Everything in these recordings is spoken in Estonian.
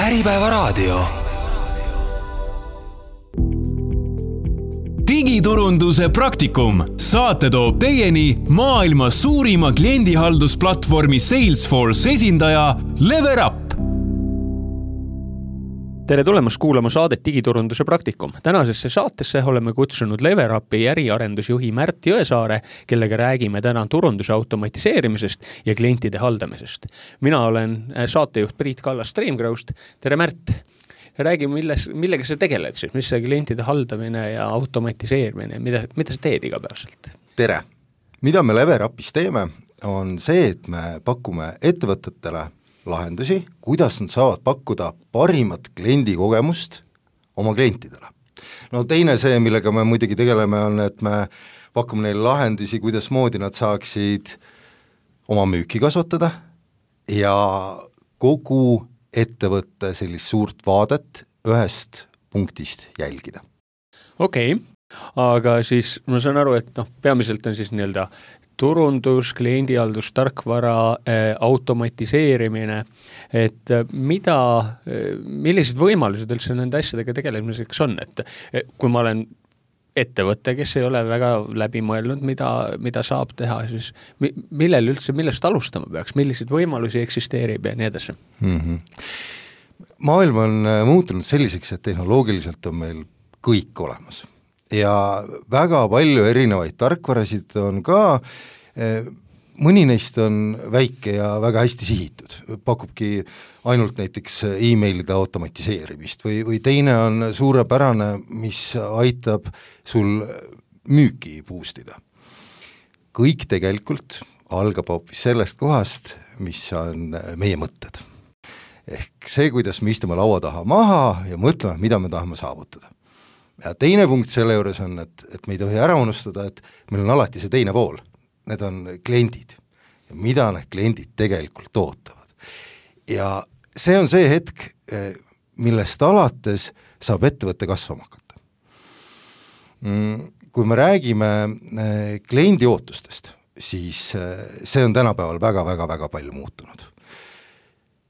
Äripäevaraadio. Digiturunduse praktikum. Saate toob teieni maailma suurima kliendihaldusplatvormi Salesforce esindaja LeverUp. Tere tulemast kuulama saadet Digiturunduse praktikum. Tänasesse saatesse oleme kutsunud LeverUpi äriarendusjuhi Märt Jõesaare, kellega räägime täna turunduse automatiseerimisest ja klientide haldamisest. Mina olen saatejuht Priit Kallas Streamgrowst. Tere Märt! Räägi, millega sa tegeled siis? Mis see klientide haldamine ja automatiseerimine? Mida sa teed igapäevaselt? Tere! Mida me LeverUpis teeme, on see, et me pakume ettevõtetele lahendusi, kuidas nad saavad pakkuda parimat kliendikogemust oma klientidele. No teine see, millega me muidugi tegeleme, on, et me pakume neile lahendusi, kuidas moodi nad saaksid oma müüki kasvatada ja kogu ettevõtte sellist suurt vaadet ühest punktist jälgida. Okei, aga siis ma saan aru, et peamiselt on siis nii-öelda turundus, kliendihaldus, tarkvara, automatiseerimine, et millised võimalused üldse nende asjadega tegelemiseks on, et kui ma olen ettevõte, kes ei ole väga läbi mõelnud, mida saab teha, siis millest alustama peaks, milliseid võimalusi eksisteerib ja nii edasi? Maailm on muutunud selliseks, et tehnoloogiliselt on meil kõik olemas. Ja väga palju erinevaid tarkvarasid on ka, mõni neist on väike ja väga hästi sihitud, pakubki ainult näiteks e-mailide automatiseerimist või teine on suurepärane, mis aitab sul müüki boostida. Kõik tegelikult algab hoopis sellest kohast, mis on meie mõtted. Ehk see, kuidas me istume laua taha maha ja mõtleme, mida me tahame saavutada. Ja teine punkt selle juures on, et me ei tohi ära unustada, et meil on alati see teine pool. Need on kliendid ja mida need kliendid tegelikult ootavad. Ja see on see hetk, millest alates saab ettevõtte kasvama hakata. Kui me räägime kliendi ootustest, siis see on tänapäeval väga palju muutunud.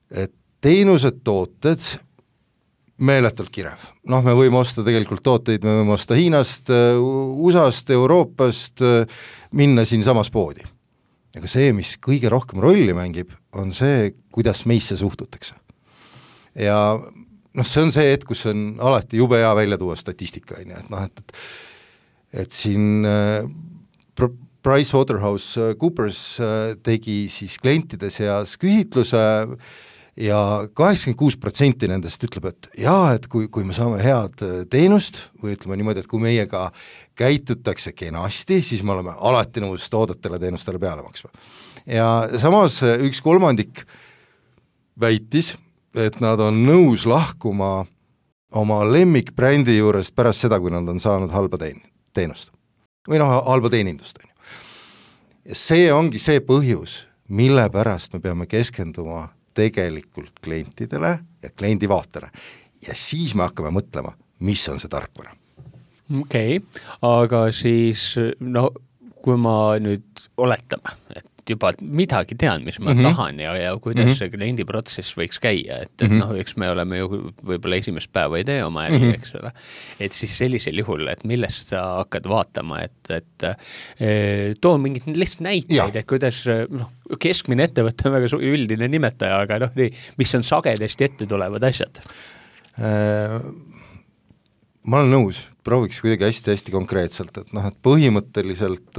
Et teenused, tooted meeletult kirev. Me võime osta tegelikult tooteid, me võime osta Hiinast, USAst, Euroopast, minna siin samas poodi. Aga see, mis kõige rohkem rolli mängib, on see, kuidas meisse suhtutakse. Ja see on see hetk, kus on alati jube hea välja tuua statistika. Et siin PricewaterhouseCoopers tegi siis klientide seas küsitluse ja 86% nendest ütleb, et kui me saame head teenust või ütleme niimoodi, et kui meiega käitutakse kenasti, siis me oleme alati nõus toodetele teenustele peale maksma. Ja samas 1/3 väitis, et nad on nõus lahkuma oma lemmikbrändi juurest pärast seda, kui nad on saanud halba teenust või halba teenindust. Ja see ongi see põhjus, mille pärast me peame keskenduma tegelikult klientidele ja kliendi vaatele. Ja siis me hakkame mõtlema, mis on see tarkvara. Okei, aga siis kui ma nüüd oletame, et juba midagi tean, mis ma tahan ja kuidas see kliendiprotsess võiks käia, et eks me oleme ju võib-olla esimest päeva ei tee oma äri, eks ole. Et siis sellisel juhul, et millest sa hakkad vaatama, et too mingid lihtsalt näiteid, et kuidas keskmine ettevõte on väga üldine nimetaja, aga mis on sagedasti ette tulevad asjad? Ma olen nõus, prooviks kuidagi hästi konkreetselt, et põhimõtteliselt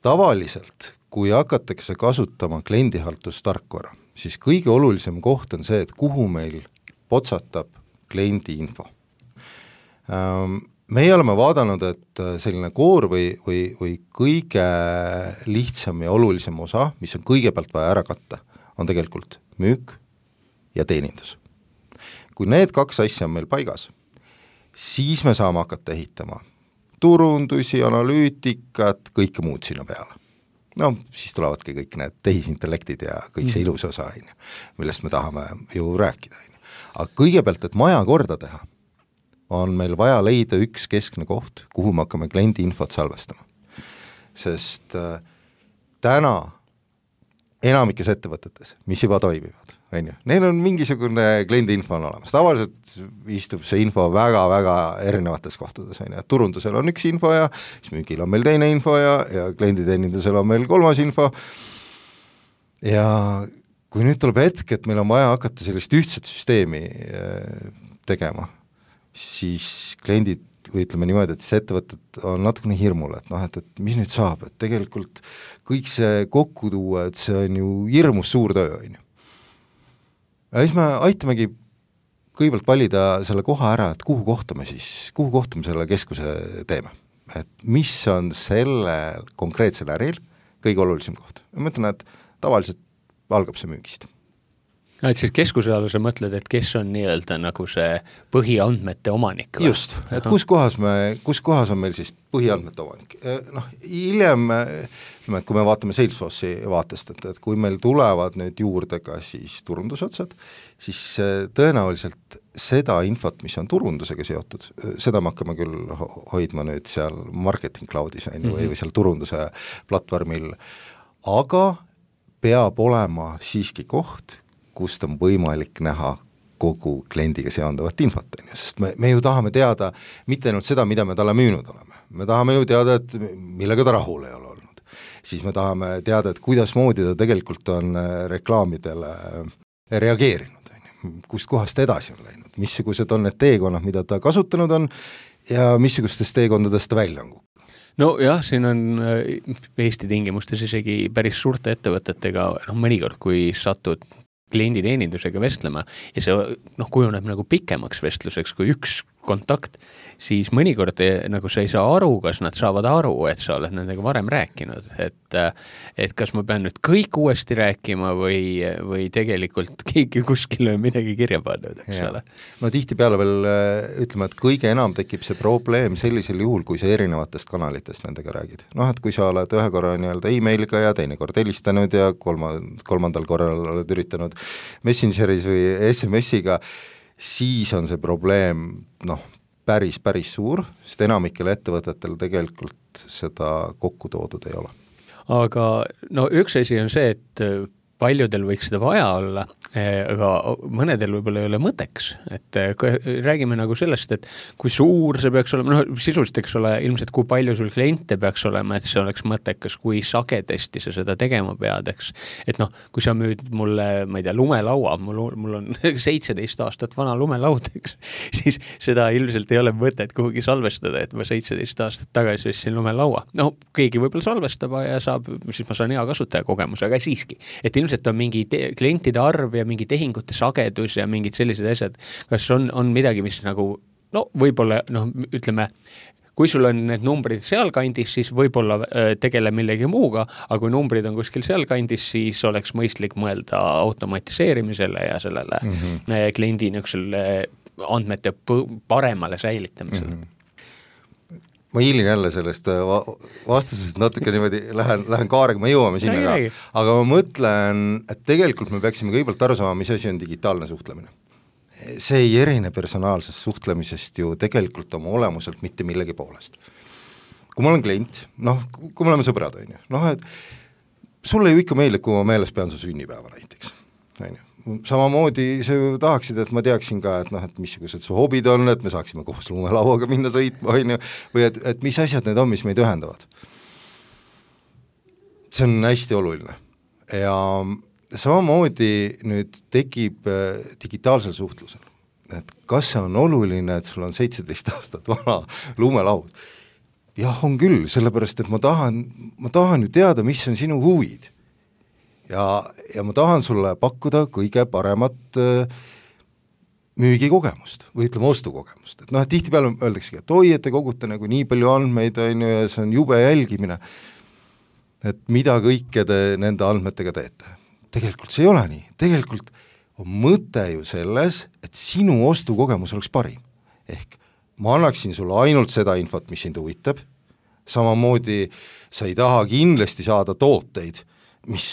tavaliselt, kui hakatakse kasutama kliendihaldustarkvara, siis kõige olulisem koht on see, et kuhu meil potsatab kliendi info. Meie oleme vaadanud, et selline koor või kõige lihtsam ja olulisem osa, mis on kõigepealt vaja ära katta, on tegelikult müük ja teenindus. Kui need kaks asja on meil paigas, siis me saame hakata ehitama turundusi, analüütikat, kõike muud sinna peale. Siis tulevadki kõik need tehisintellektid ja kõik see ilus osa, millest me tahame ju rääkida. Aga kõigepealt, et maja korda teha, on meil vaja leida üks keskne koht, kuhu me hakkame kliendi infot salvestama. Sest täna enamikes ettevõtetes, mis juba toimivad, on ju. Neil on mingisugune kliendi info on olemas. Tavaliselt istub see info väga-väga erinevates kohtades, on ju. Turundusel on üks info ja siis müügil on meil teine info ja klienditeenindusel on meil kolmas info. Ja kui nüüd tuleb hetk, et meil on vaja hakata sellist ühtset süsteemi tegema, siis kliendid või ütleme niimoodi, et siis ettevõtted on natukene hirmul, et et mis nüüd saab, et tegelikult kõik see kokku tuua, et see on ju hirmus suur töö, on ju. Ja siis me aitamegi kõigepealt valida selle koha ära, et kuhu kohta me selle keskuse teeme. Et mis on selle konkreetsel äril kõige olulisem koht. Ma mõtlen, et tavaliselt algab see müügist. Et siis keskuse all sa mõtled, et kes on nii-öelda nagu see põhiandmete omanik? Või? Just, et kus kohas on meil siis põhiandmete omanik. Hiljem, et kui me vaatame Salesforce'i vaatest, et kui meil tulevad nüüd juurde ka siis turundusotsad, siis tõenäoliselt seda infot, mis on turundusega seotud, seda me hakkame küll hoidma nüüd seal marketing cloudis või seal turunduse platvormil, aga peab olema siiski koht, kust on võimalik näha kogu kliendiga seondavat infot, sest me ju tahame teada mitte ainult seda, mida me talle müünud oleme. Me tahame ju teada, et millega ta rahul ei ole olnud. Siis me tahame teada, et kuidas moodi ta tegelikult on reklaamidele reageerinud, kust kohast edasi on läinud, missugused on need teekonnad, mida ta kasutanud on ja missugustest teekondadest ta välja on. No jah, siin on Eesti tingimustes isegi päris suurte ettevõtetega, mõnikord kui satud klienditeenindusega vestlema ja see kujuneb nagu pikemaks vestluseks kui üks kontakt, siis mõnikord nagu sa ei saa aru, kas nad saavad aru, et sa oled nendega varem rääkinud, et kas ma pean nüüd kõik uuesti rääkima või tegelikult keegi kuskil on midagi kirja pannud, eks ole. No tihtipeale veel ütleme, et kõige enam tekib see probleem sellisel juhul, kui sa erinevatest kanalitest nendega räägid. Et kui sa oled ühe korra e-mailiga ja teine kord helistanud ja kolmandal korral oled üritanud Messengeris või SMS-iga, siis on see probleem päris suur, sest enamikel ettevõtetel tegelikult seda kokku toodud ei ole. Aga üks asi on see, et paljudel võiks seda vaja olla, aga mõnedel võib-olla ei ole mõteks, et räägime nagu sellest, et kui suur see peaks olema, sisuliselt eks ole ilmselt kui palju sul kliente peaks olema, et see oleks mõttekas, kui sagedasti sa seda tegema pead, eks, et kui sa müüd mulle, ma ei tea, lumelaua, mul on 17 aastat vana lumelaud, eks, siis seda ilmselt ei ole mõtet kuhugi salvestada, et ma 17 aastat tagasi ostsin lumelaua. Keegi võib-olla salvestab ja siis ma saan hea kasutajakogemus, aga siiski, et ilmselt on mingi klientide arv ja mingi tehingute sagedus ja mingid sellised asjad. Kas on midagi, mis nagu, võib-olla, ütleme, kui sul on need numbrid sealkandis, siis võib-olla tegele millegi muuga, aga kui numbrid on kuskil sealkandis, siis oleks mõistlik mõelda automatiseerimisele ja sellele kliendi andmete paremale säilitamisele. Ma hiilin jälle sellest vastusest natuke niimoodi, lähen kaarega, me jõuame sinna ka, aga ma mõtlen, et tegelikult me peaksime kõigepealt aru saama, mis asi on digitaalne suhtlemine. See ei erine personaalsest suhtlemisest ju tegelikult oma olemuselt mitte millegi poolest. Kui ma olen klient, kui me oleme sõbrad, et sulle ju ikka meeldib, kui ma meeles pean su sünnipäeva näiteks, samamoodi sa ju tahaksid, et ma teaksin ka, et missugused su hobid on, et me saaksime koos lumelauaga minna sõitma, või et mis asjad need on, mis meid ühendavad. See on hästi oluline. Ja samamoodi nüüd tekib digitaalsel suhtlusel, et kas see on oluline, et sul on 17 aastat vana lumelaud. Jah, on küll, sellepärast, et ma tahan ju teada, mis on sinu huvid. Ja ma tahan sulle pakkuda kõige paremat müügikogemust või ütleme ostukogemust. Et tihtipeale öeldaksegi, et oi, et te kogute nagu nii palju andmeid ja see on jube jälgimine, et mida kõike te nende andmetega teete. Tegelikult see ei ole nii. Tegelikult on mõte ju selles, et sinu ostukogemus oleks parim. Ehk ma annaksin sulle ainult seda infot, mis sind huvitab. Samamoodi sa ei taha kindlasti saada tooteid, mis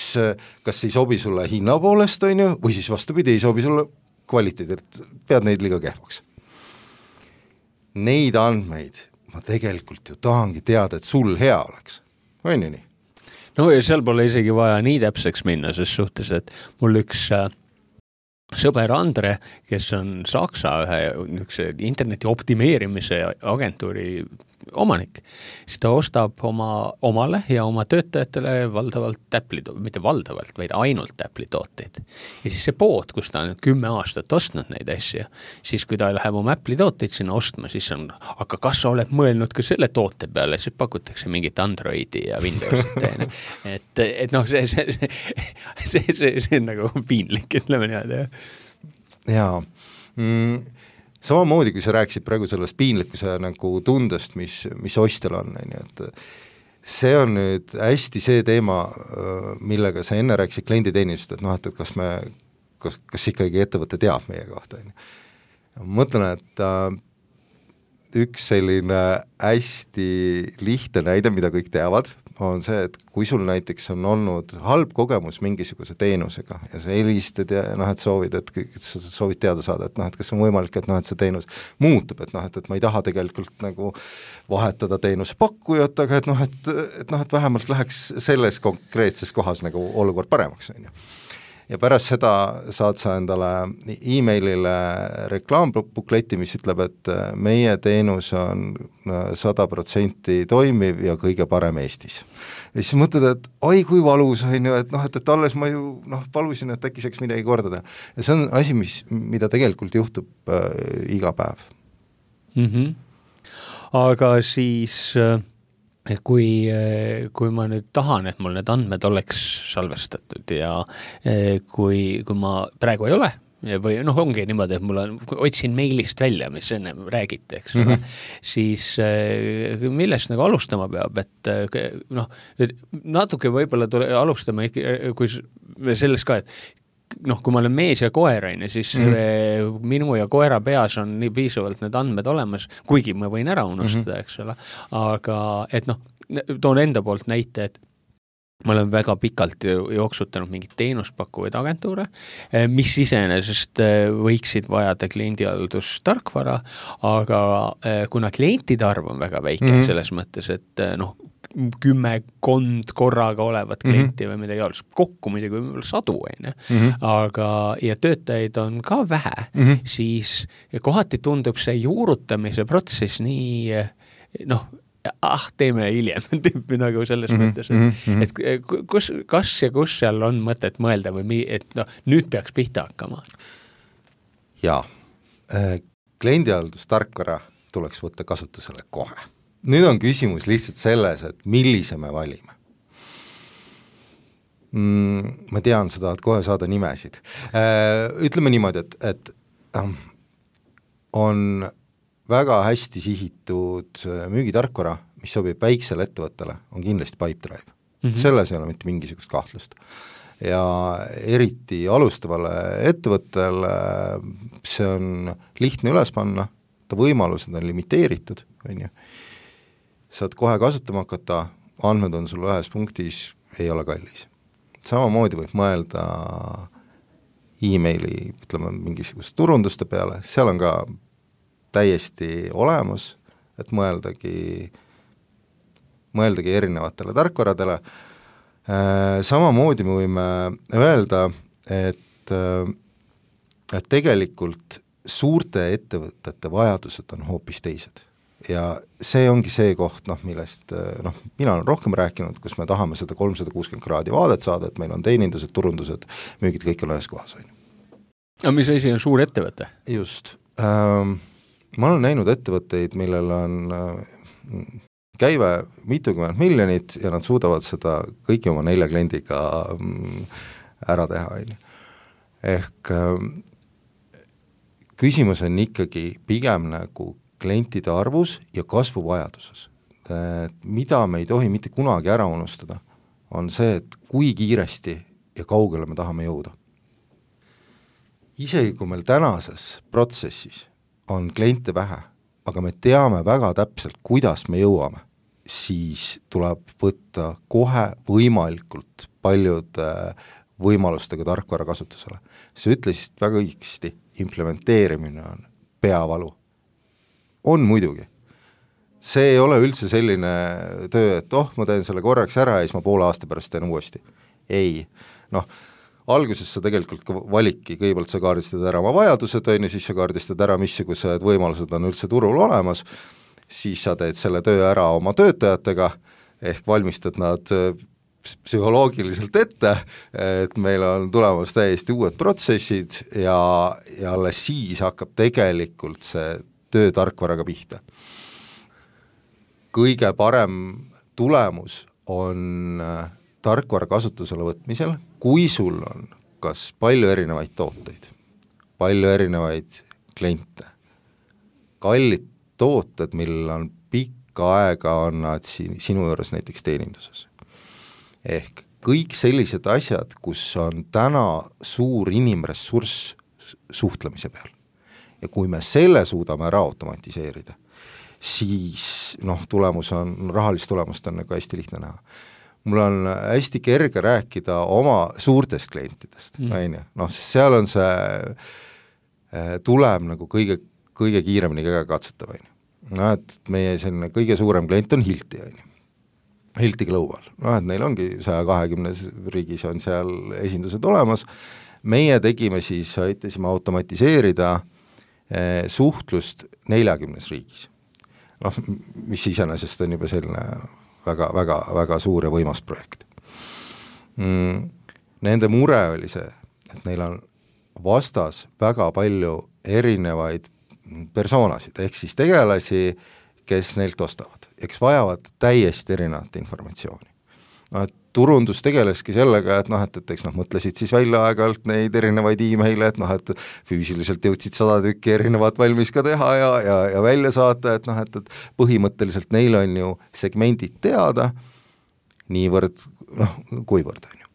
kas ei sobi sulle hinna poolest, või siis vastupidi, ei sobi sulle kvaliteedilt, pead neid liiga kehvaks. Neid andmeid ma tegelikult ju tahangi teada, et sul hea oleks. On ju nii? no ja seal pole isegi vaja nii täpseks minna, ses suhtes, et mul üks sõber Andre, kes on Saksa ühe interneti optimeerimise agentuuri omanik, siis ta ostab omale ja oma töötajatele valdavalt mitte valdavalt, vaid ainult Apple'i tooteid. Ja siis see pood, kus ta on 10 aastat ostnud neid asju, siis kui ta läheb oma Apple'i tooteid sinna ostma, siis on, aga kas sa oled mõelnud ka selle toote peale, siis pakutakse mingit Androidi ja Windowsit. et noh, see on nagu piinlik, ütleme niimoodi. Jaa, samamoodi, kui sa rääkisid praegu sellest piinlikkuse nagu tundest, mis ostjal on, et see on nüüd hästi see teema, millega sa enne rääkisid klienditeenist, et noh, et kas ikkagi ettevõte teab meie kohta. Ma mõtlen, et üks selline hästi lihtne näide, mida kõik teavad, on see, et kui sul näiteks on olnud halb kogemus mingisuguse teenusega ja sa helistad ja noh, et soovid teada saada, et noh, et kas on võimalik, et noh, et see teenus muutub, et noh, et ma ei taha tegelikult nagu vahetada teenuse pakkujat, aga et noh, et vähemalt läheks selles konkreetses kohas nagu olukord paremaks, on ju. Ja pärast seda saad sa endale e-mailile reklaambukleti, mis ütleb, et meie teenus on 100% toimiv ja kõige parem Eestis. Ja siis mõtled, et oi kui valus on ju, et noh, et alles ma ju palusin, et äkki saaks midagi korda teha. Ja see on asi, mida tegelikult juhtub iga päev. Aga siis kui ma nüüd tahan, et mul need andmed oleks salvestatud ja kui ma praegu ei ole, või noh, ongi niimoodi, et otsin meilist välja, mis enne räägite, eks ole, siis millest nagu alustama peab, et noh, natuke võib-olla alustama, kui sellest ka, et noh, kui ma olen mees ja koer, siis minu ja koera peas on nii piisavalt need andmed olemas, kuigi ma võin ära unustada, eks ole, aga et noh, toon enda poolt näite, et ma olen väga pikalt jooksutanud mingit teenuspakkuvaid agentuure, mis iseenesest võiksid vajada kliendihaldustarkvara, aga kuna klientide arv on väga väike selles mõttes, et noh, 10 korraga olevat klienti või midagi alles, kokku muidugi võib-olla 100, aga ja töötajaid on ka vähe, siis kohati tundub see juurutamise protsess nii, noh, teeme hiljem, nagu selles mõttes, et kas ja kus seal on mõtet mõelda või et noh, nüüd peaks pihta hakkama? Jaa, kliendihaldustarkvara tuleks võtta kasutusele kohe. Nüüd on küsimus lihtsalt selles, et millise me valime. Ma tean, sa tahad kohe saada nimesid. Ütleme niimoodi, et on väga hästi sihitud müügitarkvara, mis sobib väiksele ettevõttele, on kindlasti Pipedrive. Selles ei ole mitte mingisugust kahtlust. Ja eriti alustavale ettevõttele see on lihtne üles panna, ta võimalused on limiteeritud, on ju. Saad kohe kasutama hakata, andmed on sul ühes punktis, ei ole kallis. Samamoodi võib mõelda e-maili, ütleme, mingisugust turunduste peale, seal on ka täiesti olemas, et mõeldagi erinevatele tarkvaradele. Samamoodi me võime öelda, et tegelikult suurte ettevõtete vajadused on hoopis teised. Ja see ongi see koht, millest mina olen rohkem rääkinud, kus me tahame seda 360 kraadi vaadet saada, et meil on teenindused, turundused, müügid, kõik on ühes kohas. Aga mis asi on suur ettevõte? Just. Ma olen näinud ettevõtteid, millel on käive mitukümmend miljonit ja nad suudavad seda kõiki oma 4 kliendiga ära teha. Ehk küsimus on ikkagi pigem nagu klientide arvus ja kasvuvajaduses. Mida me ei tohi mitte kunagi ära unustada, on see, et kui kiiresti ja kaugele me tahame jõuda. Isegi kui meil tänases protsessis on kliente vähe, aga me teame väga täpselt, kuidas me jõuame, siis tuleb võtta kohe võimalikult paljude võimalustega tarkvara kasutusele. Sa ütlesid väga õigesti, implementeerimine on peavalu. On muidugi, see ei ole üldse selline töö, et ma teen selle korraks ära ja siis ma poole aasta pärast teen uuesti. Ei, alguses sa tegelikult ka valikki, kõigepealt sa kaardistad ära oma vajadused, siis sa kaardistad ära, missugused võimalused on üldse turul olemas, siis sa teed selle töö ära oma töötajatega, ehk valmistad nad psühholoogiliselt ette, et meil on tulemas täiesti uued protsessid ja alles siis hakkab tegelikult see töö tarkvaraga pihta. Kõige parem tulemus on tarkvara kasutusele võtmisel, kui sul on kas palju erinevaid tooteid, palju erinevaid kliente, kallid tooted, millel on pikka aega on nad sinu juures näiteks teeninduses. Ehk kõik sellised asjad, kus on täna suur inimressurss suhtlemise peal. Ja kui me selle suudame ära automatiseerida, siis tulemus on, rahalist tulemust on nagu hästi lihtne näha. Mul on hästi kerge rääkida oma suurtest klientidest, sest seal on see tulem nagu kõige kiiremini katsetav. Et meie selline kõige suurem klient on Hilti Global, et neil ongi 120 riigis on seal esindused olemas, meie tegime siis, aitasime automatiseerida suhtlust 40 riigis. Mis iseenesest on juba selline väga suur ja võimas projekt. Nende mure oli see, et neil on vastas väga palju erinevaid persoonasid, ehk siis tegelasi, kes neilt ostavad, eks vajavad täiesti erinevat informatsiooni. Turundus tegeleski sellega, et eks mõtlesid siis välja aeg-ajalt neid erinevaid e-maile, et füüsiliselt jõudsid 100 tükki erinevat valmis ka teha ja välja saata, et põhimõtteliselt neil on ju segmendid teada, niivõrd, kuivõrd on ju.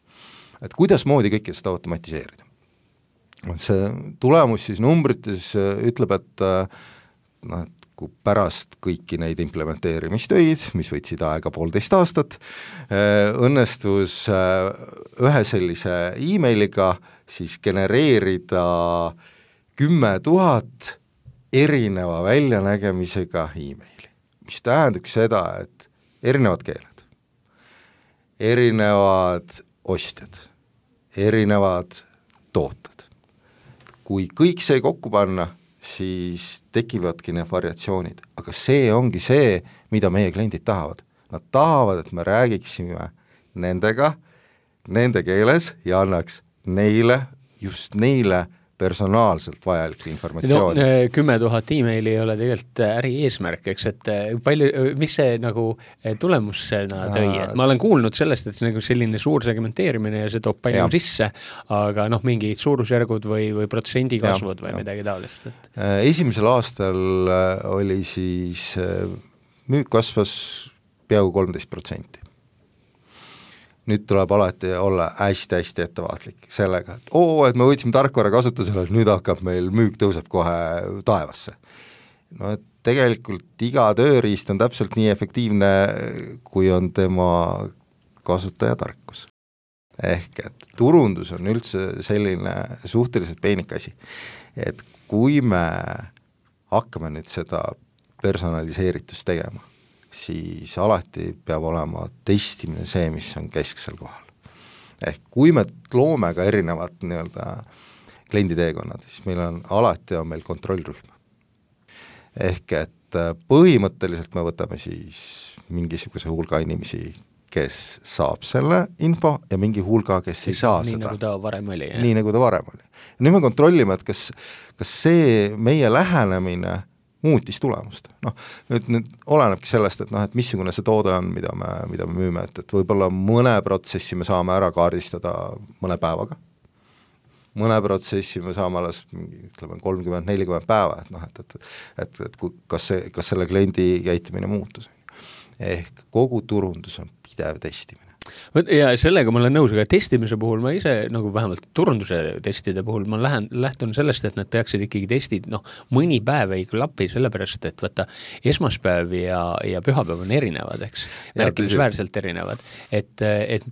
Et kuidas moodi kõike seda automatiseerida? See tulemus siis numbrites ütleb, et kui pärast kõiki neid implementeerimistöid, mis võtsid aega 1,5 aastat, õnnestus ühe sellise e-mailiga siis genereerida 10 000 erineva väljanägemisega e-maili, mis tähendab seda, et erinevad keeled, erinevad ostjad, erinevad tooted. Kui kõik see kokku panna, siis tekivadki need variatsioonid, aga see ongi see, mida meie kliendid tahavad. Nad tahavad, et me räägiksime nendega, nende keeles ja annaks neile, just neile personaalselt vajalik informatsiooni. 10 000 e-maili ei ole tegelikult äri eesmärk, eks, et mis see nagu tulemusena tõi, et ma olen kuulnud sellest, et see nagu selline suur segmenteerimine ja see toob palju sisse, aga mingid suurusjärgud või protsendi kasvud või midagi taolist. Esimesel aastal oli siis müük kasvas peaaegu 13%. Nüüd tuleb alati olla hästi ettevaatlik sellega, et me võtsime tarkvara kasutusele, nüüd hakkab meil müük tõuseb kohe taevasse. Et tegelikult iga tööriist on täpselt nii efektiivne, kui on tema kasutajatarkus. Ehk et turundus on üldse selline suhteliselt peenik asi, et kui me hakkame nüüd seda personaliseeritust tegema, siis alati peab olema testimine see, mis on kesksel kohal. Ehk kui me loome ka erinevad klienditeekonnad, siis meil on kontrollrühm. Ehk et põhimõtteliselt me võtame siis mingisuguse hulga inimesi, kes saab selle info ja mingi hulga, kes ei saa nii seda. Nagu ta varem oli. Nii nagu ta varem oli. Nüüd me kontrollime, et kas see meie lähenemine muutis tulemust. Nüüd olenebki sellest, et missugune see toode on, mida me müüme, et võib-olla mõne protsessi me saame ära kaardistada mõne päevaga. Mõne protsessi me saame alles 30-40 päeva, et kas selle kliendi käitumine muutus. Ehk kogu turundus on pidev testimine. Ja sellega ma olen nõus, aga testimise puhul ma ise, nagu vähemalt turunduse testide puhul, ma lähtun sellest, et nad peaksid ikkagi testid, mõni päev ei klapi, sellepärast, et võtta esmaspäev ja pühapäev on erinevad, eks, märkimisväärselt erinevad. Et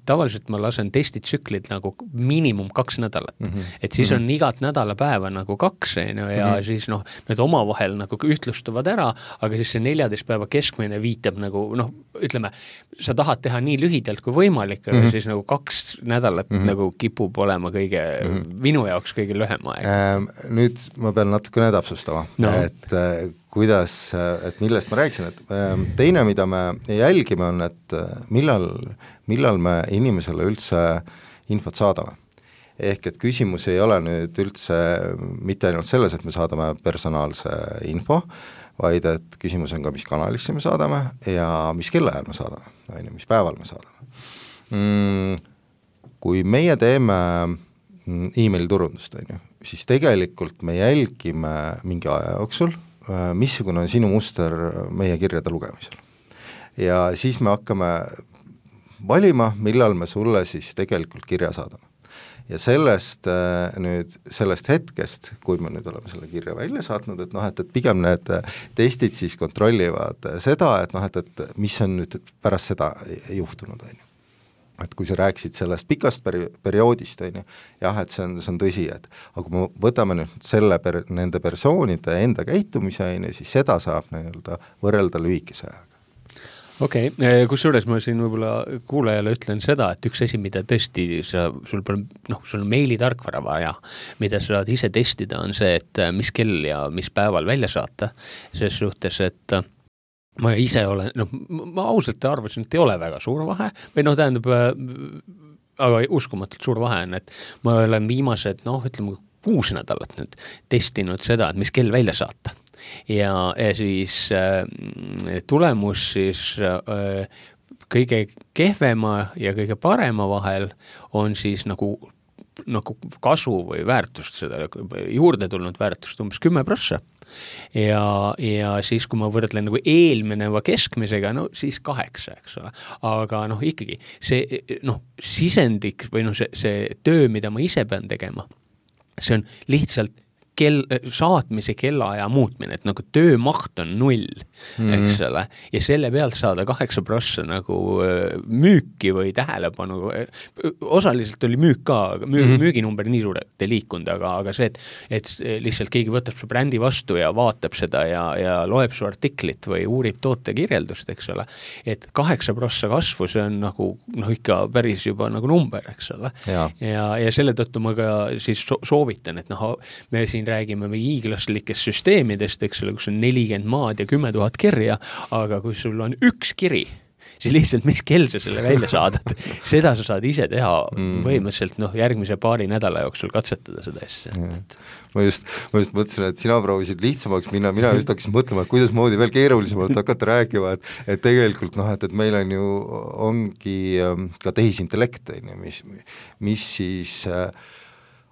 tavaliselt ma lasen testitsüklid nagu miinimum 2 nädalat. Et siis on igat nädalapäeva nagu 2 ja siis need omavahel nagu ühtlustuvad ära, aga siis see 14 päeva keskmine viitab nagu, ütleme, sa tahad teha nii lühidalt kui võimalik, aga siis nagu 2 nädalat nagu kipub olema minu jaoks kõige lühem aeg. Nüüd ma pean natukene täpsustama, et et millest ma rääkisin, et teine, mida me jälgime, on, et millal me inimesele üldse infot saadame. Ehk et küsimus ei ole nüüd üldse mitte ainult selles, et me saadame personaalse info, vaid et küsimus on ka, mis kanalisse me saadame ja mis kellaajal me saadame, mis päeval me saadame. Kui meie teeme e-maili turundust, siis tegelikult me jälgime mingi aja jooksul, missugune on sinu muster meie kirjade lugemisel. Ja siis me hakkame valima, millal me sulle siis tegelikult kirja saadame. Ja sellest hetkest, kui me nüüd oleme selle kirja välja saatnud, et pigem need testid siis kontrollivad seda, et mis on nüüd pärast seda juhtunud, et kui sa rääksid sellest pikast perioodist, jah, et see on tõsi, aga kui me võtame nüüd nende persoonide enda käitumise, siis seda saab võrrelda lühikese ajaga. Okei, kusjuures ma siin võib-olla kuulajale ütlen seda, et üks asi, mida tõesti sul on meilitarkvara vaja, mida sa saad ise testida, on see, et mis kell ja mis päeval välja saata, ses suhtes, et ma ise olen, ma ausalt arvasin, et ei ole väga suur vahe, või tähendab, aga uskumatult suur vahe on, et ma olen viimased, ütleme 6 nädalat nüüd testinud seda, et mis kell välja saata. Ja siis tulemus siis kõige kehvema ja kõige parema vahel on siis nagu kasu või väärtust, seda juurde tulnud väärtust umbes 10%. Ja siis, kui ma võrdlen nagu eelmineva keskmisega, siis 8, eks ole. Aga ikkagi see sisendik või see töö, mida ma ise pean tegema, see on lihtsalt saatmise kellaaja muutmine, et nagu töömaht on 0, eks ole, ja selle pealt saada 8% nagu müüki või tähelepanu, osaliselt oli müük ka, müüginumber nii suurelt ei liikunud, aga see, et lihtsalt keegi võtab su brändi vastu ja vaatab seda ja loeb su artiklit või uurib tootekirjeldust, eks ole, et 8% kasvu, see on nagu ikka päris juba nagu number, eks ole, ja selle tõttu ma ka siis soovitan, et me siin räägime hiiglaslikest süsteemidest, eks ole, kus on 40 maad ja 10 000 kirja, aga kui sul on 1 kiri, siis lihtsalt mis kell sa selle välja saadad, seda sa saad ise teha põhimõtteliselt järgmise paari nädala jooksul katsetada seda asja. Ma just mõtlesin, et sina proovisid lihtsamaks minna, mina just hakkasin mõtlema, et kuidas moodi veel keerulisemalt hakata rääkima, et tegelikult et meil on ju, ongi ka tehisintellekt, mis siis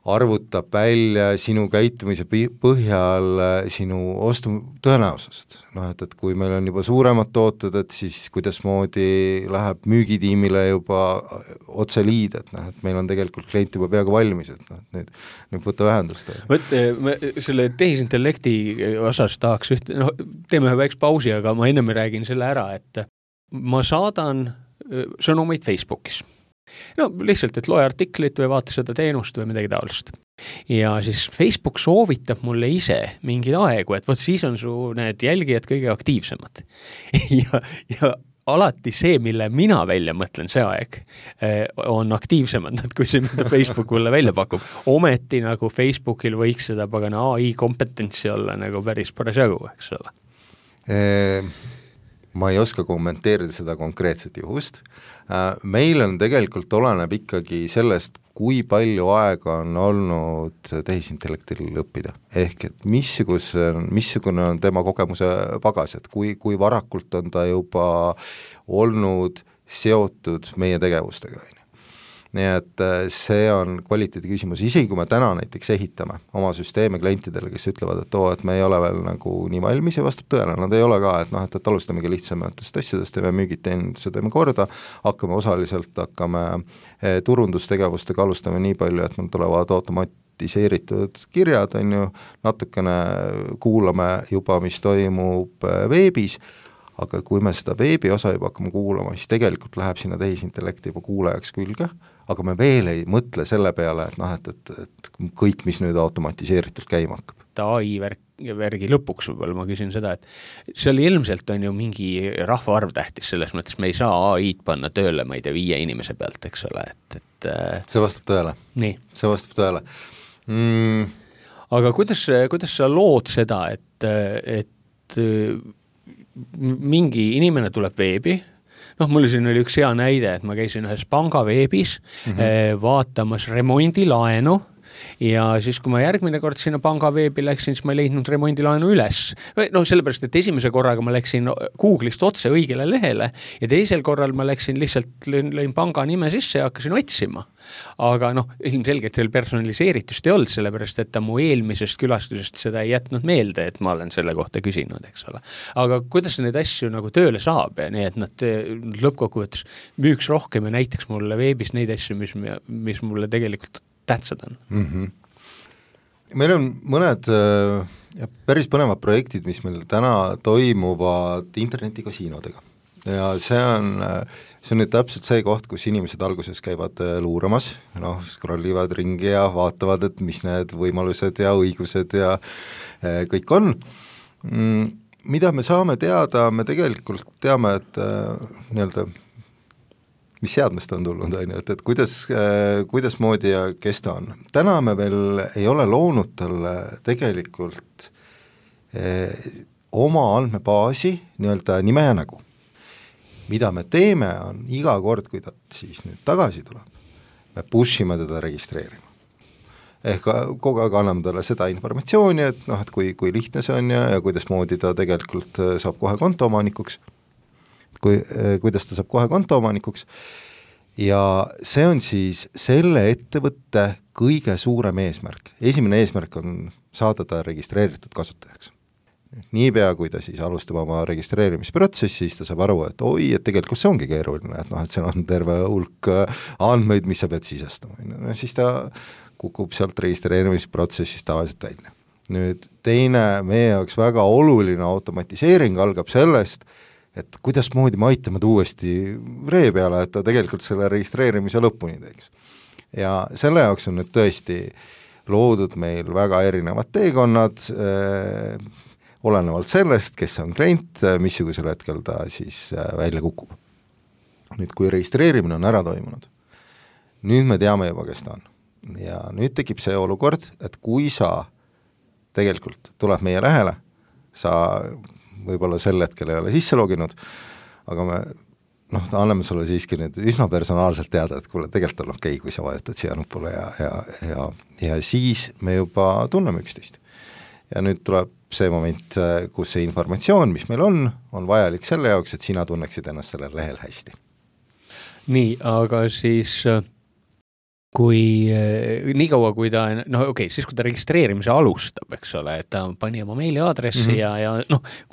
arvutab välja sinu käitumise põhjal sinu ostu tõenäosused. Et kui meil on juba suuremad tooted, et siis kuidasmoodi läheb müügitiimile juba otse liid, et meil on tegelikult klient juba peaaegu valmis, et nüüd võtta vähendust. Selle tehisintellekti osas tahaks teeme ühe väikse pausi, aga ma ennem räägin selle ära, et ma saadan sõnumeid Facebookis. Lihtsalt, et loe artiklit või vaata seda teenust või midagi taolist. Ja siis Facebook soovitab mulle ise mingid aegu, et siis on su need jälgijad kõige aktiivsemad. ja alati see, mille mina välja mõtlen, see aeg on aktiivsemad, kui see, mida Facebook mulle välja pakub. Ometi nagu Facebookil võiks seda pagana AI kompetentsi olla nagu päris parasjagu, eks ole. Ma ei oska kommenteerida seda konkreetset juhust. Meil on tegelikult oleneb ikkagi sellest, kui palju aega on olnud tehisintellektil õppida. Ehk et missugune on tema kogemuse pagas, et kui varakult on ta juba olnud seotud meie tegevustega. nii et see on kvaliteedi küsimus, isegi kui me täna näiteks ehitame oma süsteeme klientidele, kes ütlevad, et me ei ole veel nagu nii valmis ja vastab tõele, nad ei ole ka, et alustamegi lihtsamatest asjadest, teeme müügid, teeninduse teeme korda, hakkame turundustegevustega alustame nii palju, et meil tulevad automatiseeritud kirjad, on ju, natukene kuulame juba, mis toimub veebis, aga kui me seda veebi osa juba hakkame kuulama, siis tegelikult läheb sinna tehisintellekti juba kuulajaks külge, aga me veel ei mõtle selle peale, et kõik, mis nüüd automatiseeritult käima hakkab. AI värgi lõpuks võib-olla ma küsin seda, et seal ilmselt on ju mingi rahvaarv tähtis selles mõttes, me ei saa AI-d panna tööle, ma ei tea, 5 inimese pealt, eks ole, et see vastab tõele. Nii. See vastab tõele. Aga kuidas sa lood seda, et mingi inimene tuleb veebi, mul siin oli üks hea näide, et ma käisin ühes panga veebis vaatamas remondilaenu ja siis, kui ma järgmine kord sinna panga veebi läksin, siis ma ei leidnud remondilaenu üles. Sellepärast, et esimese korraga ma läksin Google'ist otse õigele lehele ja teisel korral ma läksin lihtsalt, lõin panga nime sisse ja hakkasin otsima. Aga ilmselgelt seal personaliseeritust ei olnud, sellepärast, et ta mu eelmisest külastusest seda ei jätnud meelde, et ma olen selle kohta küsinud, eks ole. Aga kuidas neid asju nagu tööle saab ja nii, et nad lõppkokkuvõttes müüks rohkem ja näitaks mulle veebis neid asju, mis mulle tegelikult tähtsad on. Meil on mõned päris põnevad projektid, mis meil täna toimuvad internetikasiinodega ja see on nüüd täpselt see koht, kus inimesed alguses käivad luuramas, scrollivad ringi ja vaatavad, et mis need võimalused ja õigused ja kõik on. Mida me saame teada, me tegelikult teame, et nii-öelda mis seadmest on tulnud, et kuidas moodi ja kes ta on. Täna me veel ei ole loonud talle tegelikult oma andmebaasi nii-öelda nime ja nägu. Mida me teeme, on iga kord, kui ta siis nüüd tagasi tuleb, me pushime teda registreerima. Ehk kogu aeg anname talle seda informatsiooni, et kui lihtne see on ja kuidas moodi ta tegelikult saab kohe kontoomanikuks, kuidas ta saab kohe kontoomanikuks ja see on siis selle ettevõtte kõige suurem eesmärk. Esimene eesmärk on saada ta registreeritud kasutajaks. Niipea, kui ta siis alustab oma registreerimisprotsessi, siis ta saab aru, et et tegelikult see ongi keeruline, et see on terve hulk andmeid, mis sa pead sisestama. Siis ta kukub sealt registreerimisprotsessist tavaliselt välja. Nüüd teine meie jaoks väga oluline automatiseering algab sellest, et kuidas moodi me aitame ta uuesti ree peale, et ta tegelikult selle registreerimise lõpuni teeks. Ja selle jaoks on nüüd tõesti loodud meil väga erinevad teekonnad, olenevalt sellest, kes on klient, missugusel hetkel ta siis välja kukub. Nüüd, kui registreerimine on ära toimunud, nüüd me teame juba, kes ta on. Ja nüüd tekib see olukord, et kui sa tegelikult tuleb meie lähele, sa võib-olla sel hetkel ei ole sisse loginud, aga me anname sulle siiski nüüd üsna personaalselt teada, et kuule, tegelikult on okei, kui sa vajutad siia nupule ja siis me juba tunneme üksteist. Ja nüüd tuleb see moment, kus see informatsioon, mis meil on vajalik selle jaoks, et sina tunneksid ennast sellel lehel hästi. Nii, aga siis kui nii kaua, kui ta, siis kui ta registreerimise alustab, eks ole, et ta pani oma meiliaadressi ja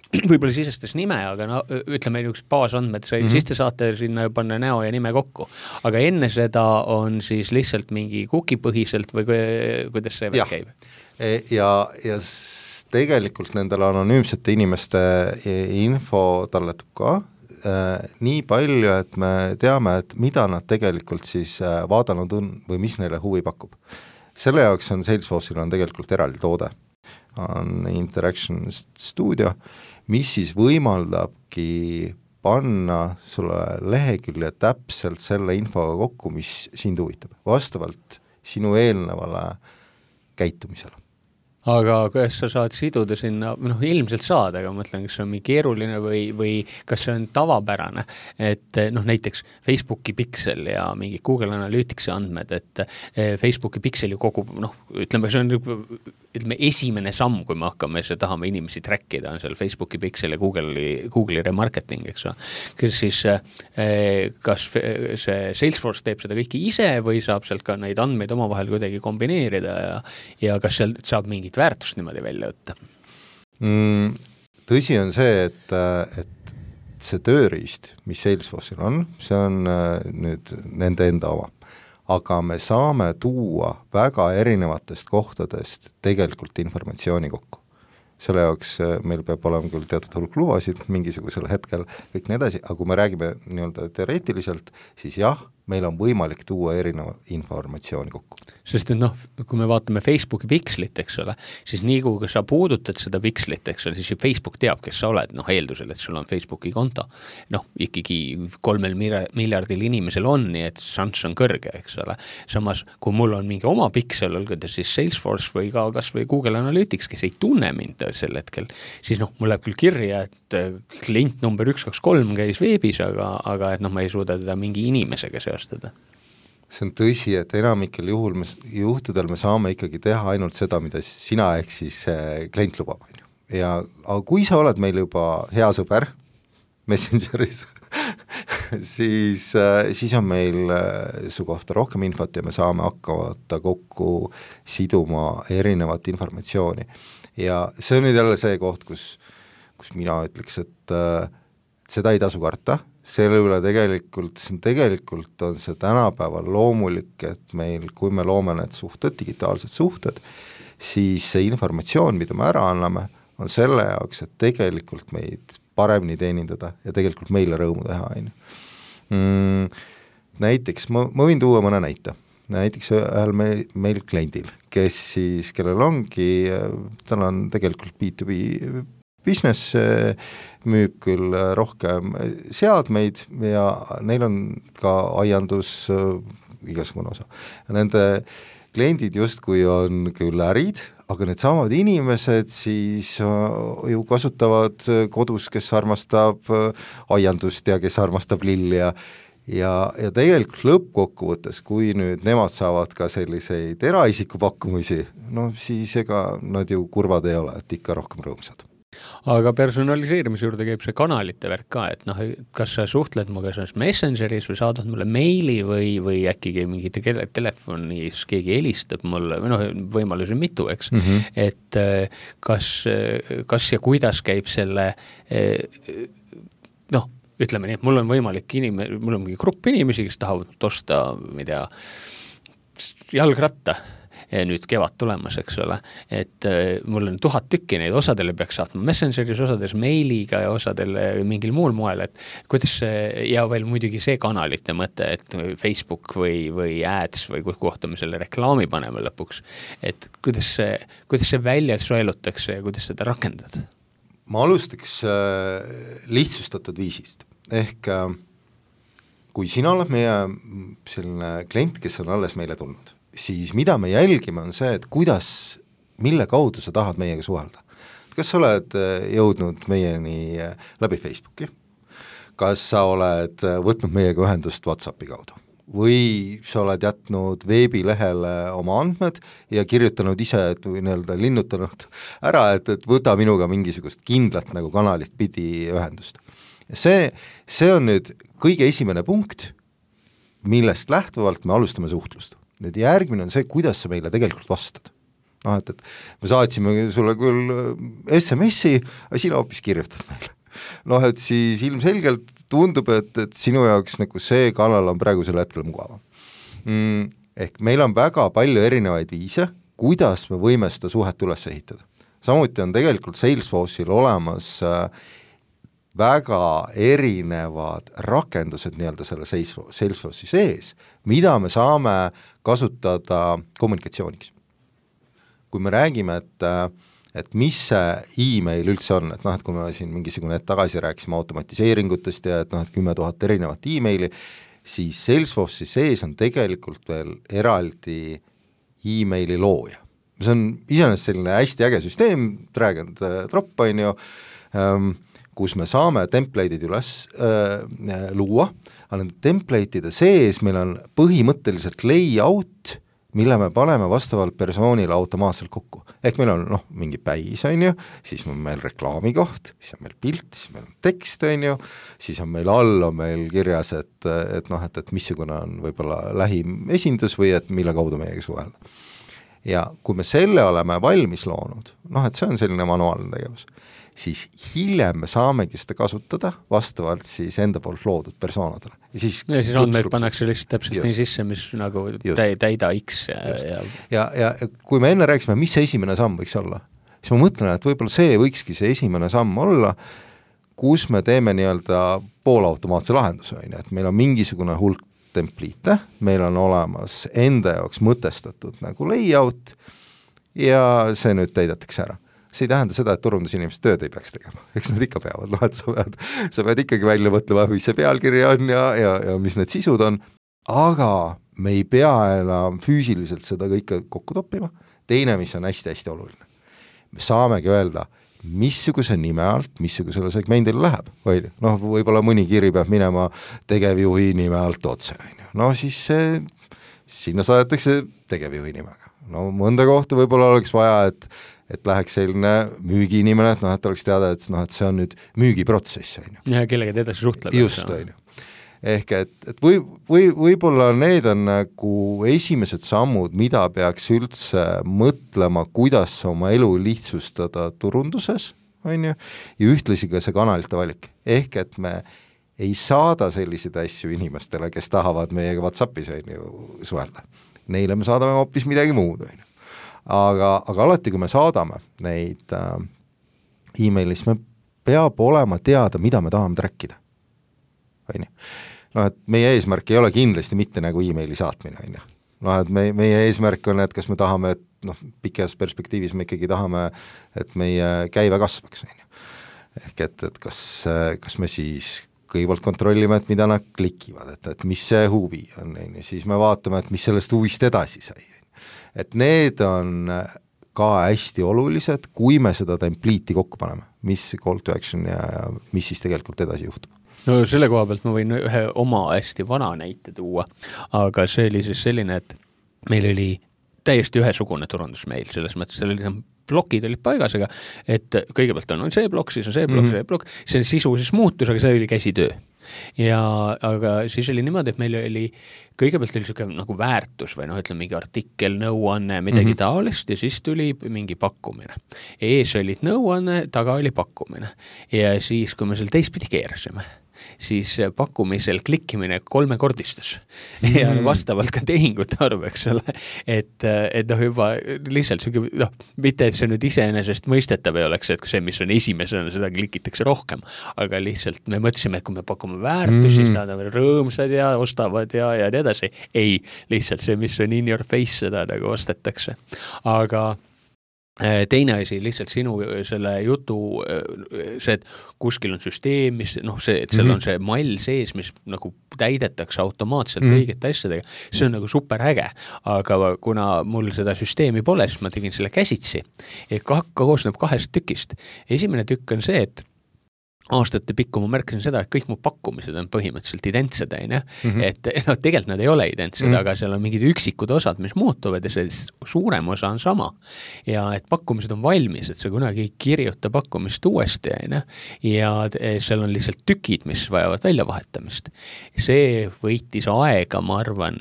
võib-olla sisestas nime, aga ütleme üks baasandmed, siis te saate sinna panna näo ja nime kokku. Aga enne seda on siis lihtsalt mingi kukipõhiselt või kuidas see käib? Ja tegelikult nendele anonüümsete inimeste info talletub ka, nii palju, et me teame, et mida nad tegelikult siis vaadanud on või mis neile huvi pakub. Selle jaoks on Salesforce'il on tegelikult eraldi toode, on Interaction Studio, mis siis võimaldabki panna sulle lehekülje täpselt selle infoga kokku, mis sind huvitab, vastavalt sinu eelnevale käitumisele. aga kas sa saad siduda sinna, ilmselt saad, aga ma mõtlen, kas see on mingi keeruline või kas see on tavapärane, et näiteks Facebooki Pixel ja mingi Google Analyticsi andmed, et Facebooki Pixel ju kogub, ütleme, see on esimene samm, kui me hakkame tahame inimesi trackida, on seal Facebooki Pixel ja Google'i remarketing, eks ole. Kas see Salesforce teeb seda kõike ise või saab sealt ka neid andmeid omavahel kuidagi kombineerida ja kas seal saab mingit väärtust niimoodi välja võtta? Tõsi on see, et see tööriist, mis Salesforce'il on, see on nüüd nende enda oma. Aga me saame tuua väga erinevatest kohtadest tegelikult informatsiooni kokku. Selle jaoks meil peab olema küll teatud hulk lubasid mingisugusel hetkel, kõik nii edasi, aga kui me räägime nii-öelda teoreetiliselt, siis jah, meil on võimalik tuua erineva informatsiooni kokku. Sest kui me vaatame Facebooki Pixlit, eks ole, siis nii kui sa puudutad seda Pixlit, eks ole, siis Facebook teab, kes sa oled, eeldusel, et sul on Facebooki konto. Ikkagi 3 miljardil inimesel on, nii et šanss on kõrge, eks ole. Samas, kui mul on mingi oma Pixel, olgu ta siis Salesforce või ka kas või Google Analytics, kes ei tunne mind sel hetkel, siis mul läheb küll kirja, et klient number 123 käis veebis, aga et ma ei suuda teda mingi inimesega seostada. See on tõsi, et enamikel juhtudel me saame ikkagi teha ainult seda, mida sina ehk siis klient lubab. Aga kui sa oled meil juba hea sõber Messengeris, siis on meil su kohta rohkem infot ja me saame hakkavata kokku siduma erinevat informatsiooni. Ja see on nüüd jälle see koht, kus mina ütleks, et seda ei tasu karta, selle üle tegelikult on see tänapäeval loomulik, et meil, kui me loome need suhted, digitaalsed suhted, siis see informatsioon, mida me ära anname, on selle jaoks, et tegelikult meid paremini teenindada ja tegelikult meile rõõmu teha. Näiteks, ma võin tuua mõne näite. Näiteks ühel meil kliendil, kellel ongi, tal on tegelikult B2B business, müüb küll rohkem seadmeid ja neil on ka aiandus igasugune osa. Nende kliendid justkui on küll ärid, aga need samad inimesed siis ju kasutavad kodus, kes armastab aiandust ja kes armastab lilli ja tegelikult lõppkokkuvõttes, kui nüüd nemad saavad ka selliseid eraisiku pakkumisi, siis ega nad ju kurvad ei ole, et ikka rohkem rõõmsad. Aga personaliseerimise juurde käib see kanalite värk ka, et kas sa suhtled muga Messengeris või saadad mulle meili või äkki mingi telefonis keegi helistab mulle, võimalusi mitu, eks, et kas ja kuidas käib selle, ütleme nii, et mul on võimalik mul on mingi grupp inimesi, kes tahavad osta, jalgratta nüüd kevad tulemas, eks ole, et mul on 1000 tükki neid, osadele peaks saatma Messengeris, osades meiliga ja osadele mingil muul moel, et kuidas ja veel muidugi see kanalite mõte, et Facebook või ads või kohta me selle reklaami paneme lõpuks, et kuidas see välja soelutakse ja kuidas seda rakendad? Ma alustaks lihtsustatud viisist, ehk kui sina oled meie selline klient, kes on alles meile tulnud, siis mida me jälgime on see, et mille kaudu sa tahad meiega suhelda. Kas sa oled jõudnud meieni läbi Facebooki? Kas sa oled võtnud meiega ühendust WhatsAppi kaudu? Või sa oled jätnud veebilehele oma andmed ja kirjutanud ise, või linnutanud ära, et võta minuga mingisugust kindlat nagu kanalit pidi ühendust. See on nüüd kõige esimene punkt, millest lähtuvalt me alustame suhtlust. Nüüd järgmine on see, kuidas sa meile tegelikult vastad. Et me saatsime sulle küll SMS-i, aga sina hoopis kirjutad meile. Et siis ilmselgelt tundub, et sinu jaoks nagu see kanal on praegusel hetkel mugavam. Ehk meil on väga palju erinevaid viise, kuidas me võime seda suhet üles ehitada. Samuti on tegelikult Salesforce'il olemas väga erinevad rakendused nii-öelda selle Salesforce'i sees, mida me saame kasutada kommunikatsiooniks. Kui me räägime, et mis see e-mail üldse on, et kui me siin mingisugune hetk tagasi rääkisime automatiseeringutest ja et 10 000 erinevat e-maili, siis Salesforce'i sees on tegelikult veel eraldi e-maili looja, see on iseenesest selline hästi äge süsteem, drag and drop, on ju, kus me saame template'id üles luua, aga nende template'ide sees meil on põhimõtteliselt layout, mille me paneme vastavalt persoonile automaatselt kokku. Ehk meil on mingi päis, on ju, siis on meil reklaami koht, siis on meil pilt, siis meil on tekst, on ju, siis on meil all on meil kirjas, et missugune on võib-olla lähim esindus või et mille kaudu meiega suhelda. Ja kui me selle oleme valmis loonud, et see on selline manuaalne tegevus, siis hiljem me saamegi seda kasutada vastavalt siis enda poolt loodud persoonadele. Ja siis andmeid pannakse lihtsalt täpselt nii sisse, mis nagu täida X. Ja kui me enne rääkisime, mis see esimene samm võiks olla, siis ma mõtlen, et võib-olla see võikski see esimene samm olla, kus me teeme nii-öelda poolautomaatse lahenduse, et meil on mingisugune hulk templiite, meil on olemas enda jaoks mõtestatud nagu layout ja see nüüd täidetakse ära. See ei tähenda seda, et turundusinimesed tööd ei peaks tegema, eks nad ikka peavad, et sa pead ikkagi välja mõtlema, mis see pealkiri on ja mis need sisud on, aga me ei pea enam füüsiliselt seda kõike kokku toppima. Teine, mis on hästi-hästi oluline, me saamegi öelda, missuguse nime alt, missugusele segmendile läheb, või võib-olla mõni kiri peab minema tegevjuhi nime alt otse, siis sinna saadetakse tegevjuhi nimega. Mõnda kohta võib-olla oleks vaja, et läheks selline müügiinimene, et oleks teada, et see on nüüd müügiprotsess. Ja kellega te edasi suhtleb. Just, on ju. Ehk et võib-olla need on nagu esimesed sammud, mida peaks üldse mõtlema, kuidas oma elu lihtsustada turunduses, on ju, ja ühtlasi ka see kanalite valik. Ehk et me ei saada selliseid asju inimestele, kes tahavad meiega WhatsAppis suhelda. Neile me saadame hoopis midagi muud, on ju. Aga alati, kui me saadame neid e-mailis, me peab olema teada, mida me tahame trackida. Et meie eesmärk ei ole kindlasti mitte nagu e-maili saatmine. Et meie eesmärk on, et kas me tahame, et pikas perspektiivis me ikkagi tahame, et meie käive kasvaks. Ehk et kas me siis kõigepealt kontrollime, et mida nad klikivad, et mis see huvi on, siis me vaatame, et mis sellest huvist edasi sai. Et need on ka hästi olulised, kui me seda templiiti kokku paneme, mis call to action ja mis siis tegelikult edasi juhtub. No selle koha pealt ma võin ühe oma hästi vana näite tuua, aga see oli siis selline, et meil oli täiesti ühesugune turundusmeil, selles mõttes selline blokid olid paigas, aga et kõigepealt on see blokk, siis on see blokk, see blokk, see sisu siis muutus, aga see oli käsitöö. Aga siis oli niimoodi, et meil oli kõigepealt oli selline nagu väärtus või ütleme mingi artikkel, nõuanne, midagi taolist ja siis tuli mingi pakkumine. Ees olid nõuanne, taga oli pakkumine. Ja siis, kui me seal teistpidi keerasime, siis pakkumisel klikkimine 3-kordistus ja vastavalt ka tehingute arv, eks ole, et juba lihtsalt mitte, et see nüüd iseenesest mõistetav ei oleks, et see, mis on esimesena, seda klikitakse rohkem, aga lihtsalt me mõtlesime, et kui me pakume väärtusi, siis nad on rõõmsad ja ostavad ja nii edasi. Ei, lihtsalt see, mis on in your face, seda nagu ostetakse. Aga teine asi, lihtsalt sinu selle jutu, see, et kuskil on süsteem, mis, see, et seal on see mall sees, mis nagu täidetakse automaatselt õigete asjadega, see on nagu super äge, aga kuna mul seda süsteemi pole, siis ma tegin selle käsitsi, et koosneb 2 tükist. Esimene tükk on see, et aastate pikku ma märkasin seda, et kõik mu pakkumised on põhimõtteliselt identsed, et tegelikult nad ei ole identsed, aga seal on mingid üksikud osad, mis muutuvad ja see suurem osa on sama. Ja et pakkumised on valmis, et sa kunagi ei kirjuta pakkumist uuesti, ja seal on lihtsalt tükid, mis vajavad väljavahetamist. See võitis aega, ma arvan,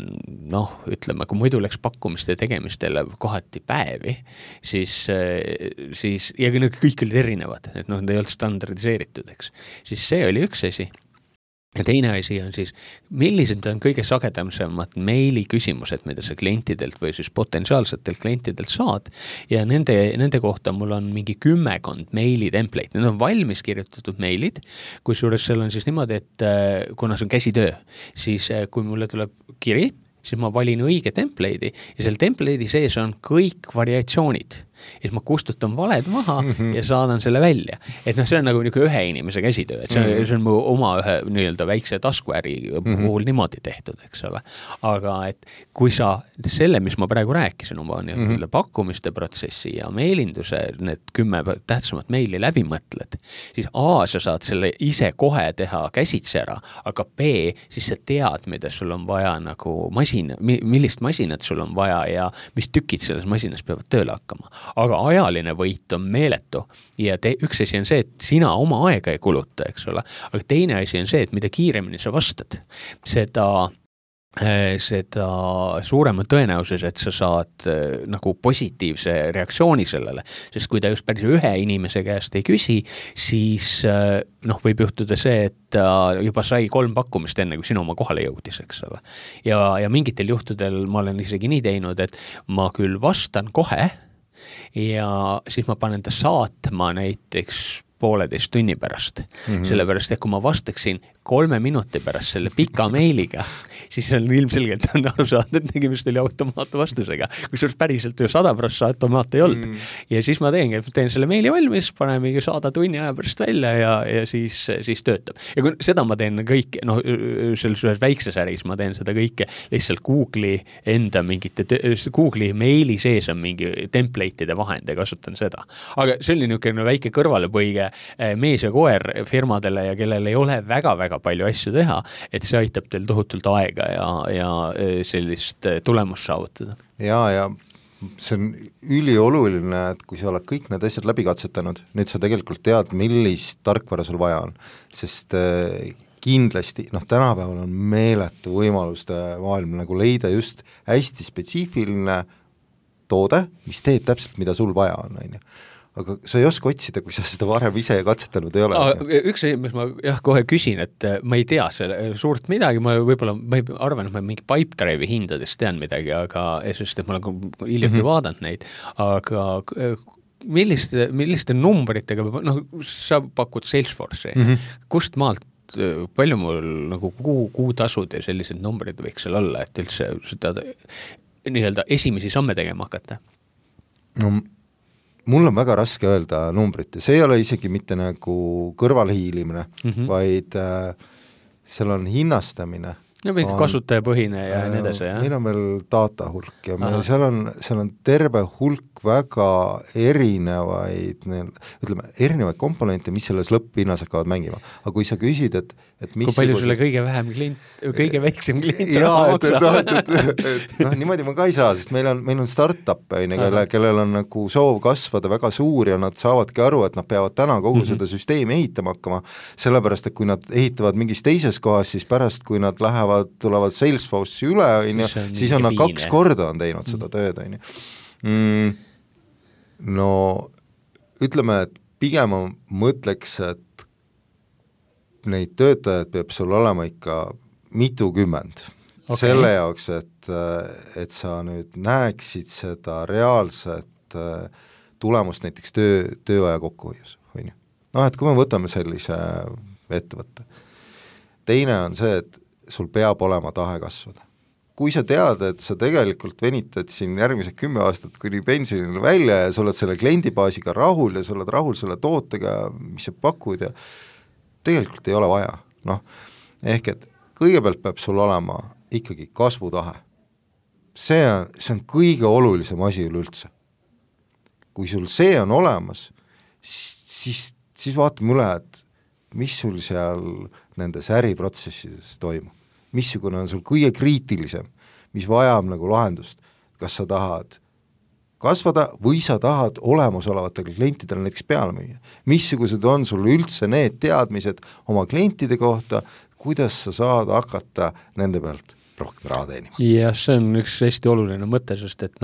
ütleme, kui muidu läks pakkumiste tegemistele kohati päevi, siis ja kõik olid erinevad, et need ei olnud standardiseeritud, siis see oli üks asi. Ja teine asi on siis, millised on kõige sagedamad meili küsimused, mida sa klientidelt või siis potentsiaalsetelt klientidelt saad ja nende kohta mul on mingi 10 meili template. Need on valmis kirjutatud meilid, kusjuures seal on siis niimoodi, et kuna see on käsitöö, siis kui mulle tuleb kiri, siis ma valin õige template'i ja seal template'i sees on kõik variatsioonid. siis ma kustutan valed maha ja saadan selle välja. Et noh, see on nagu ühe inimese käsitöö, et see on mu oma ühe nii-öelda väikse taskuäri puhul niimoodi tehtud, eks ole. Aga et kui sa selle, mis ma praegu rääkisin oma nii-öelda pakkumiste protsessi ja meelinduse, need 10 tähtsamat meili läbi mõtled, siis A, sa saad selle ise kohe teha käsitsi ära, aga B, siis sa tead, mida sul on vaja nagu millist masinat sul on vaja ja mis tükid selles masinas peavad tööle hakkama. Aga ajaline võit on meeletu ja üks asi on see, et sina oma aega ei kuluta, eks ole, aga teine asi on see, et mida kiiremini sa vastad, seda suurema tõenäosus, et sa saad nagu positiivse reaktsiooni sellele, sest kui ta just päris ühe inimese käest ei küsi, siis võib juhtuda see, et ta juba sai 3 pakkumist enne, kui sinu oma kohale jõudis, eks ole. Ja mingitel juhtudel ma olen isegi nii teinud, et ma küll vastan kohe ja siis ma panen ta saatma näiteks 1,5 tunni pärast. Sellepärast, et kui ma vastaksin 3 minuti pärast selle pika meiliga, siis on ilmselgelt aru saada, et tegemist oli automaatvastusega, kusjuures päriselt ju 100% automaat ei olnud. Ja siis ma teen selle meili valmis, paneme saada tunni aja pärast välja ja siis töötab. Ja kui seda ma teen kõik, selles väikses äris ma teen seda kõike lihtsalt Google'i enda Google'i meili sees on mingi template'ide vahend ja kasutan seda. Aga see oli niisugune väike kõrvalepõige mees ja koer firmadele ja kellel ei ole väga-väga palju asju teha, et see aitab teil tohutult aega ja sellist tulemust saavutada. Ja see on ülioluline, et kui sa oled kõik need asjad läbi katsetanud, nüüd sa tegelikult tead, millist tarkvara sul vaja on, sest kindlasti, tänapäeval on meeletu võimaluste maailm nagu leida just hästi spetsiifiline toode, mis teeb täpselt, mida sul vaja on, aga sa ei oska otsida, kui sa seda varem ise katsetanud ei ole. Üks asi, mis ma kohe küsin, et ma ei tea selle suurt midagi, ma arvan, et ma mingi Pipedrive'i hindadest tean midagi, aga sest et ma olen hiljuti vaadanud neid, aga milliste numbritega, sa pakud Salesforce'i, kust maalt, palju mul nagu kuutasud ja sellised numbrid võiks seal olla, et üldse seda nii-öelda esimesi samme tegema hakata? Mul on väga raske öelda numbrit ja see ei ole isegi mitte nagu kõrvalhiilimine, vaid seal on hinnastamine. Ja mingi kasutajapõhine ja nii edasi, jah? Meil on veel data hulk ja seal on terve hulk väga erinevaid komponente, mis selles lõpphinnas hakkavad mängima. Aga kui sa küsid, et kui palju sulle kõige väiksem klient niimoodi ma ka ei saa, sest meil on start-up, kellel on nagu soov kasvada väga suur ja nad saavadki aru, et nad peavad täna kogu seda süsteemi ehitama hakkama, sellepärast, et kui nad ehitavad mingis teises kohas, siis pärast, kui nad tulevad Salesforce'i üle, siis on nad 2 korda on teinud seda tööd. No ütleme, et pigem mõtleks, et neid töötajad peab sul olema ikka mitukümmend. Selle jaoks, et sa nüüd näeksid seda reaalset tulemust näiteks tööaja kokkuhoius. Et kui me võtame sellise ettevõtte. Teine on see, et sul peab olema tahe kasvada. Kui sa tead, et sa tegelikult venitad siin järgmised 10 aastat kuni pensionile välja ja sa oled selle kliendibaasiga rahul ja sa oled rahul selle tootega, mis sa pakud ja tegelikult ei ole vaja. Ehk et kõigepealt peab sul olema ikkagi kasvutahe. See on kõige olulisem asi üleüldse. Kui sul see on olemas, siis vaatame üle, et mis sul seal nendes äriprotsessides toimub. Missugune on sul kõige kriitilisem, mis vajab nagu lahendust. Kas sa tahad kasvada või sa tahad olemasolevatele klientidele näiteks peale müüa. Missugused on sul üldse need teadmised oma klientide kohta, kuidas sa saad hakata nende pealt rohkem raha teenima? Ja see on üks hästi oluline mõte, sest et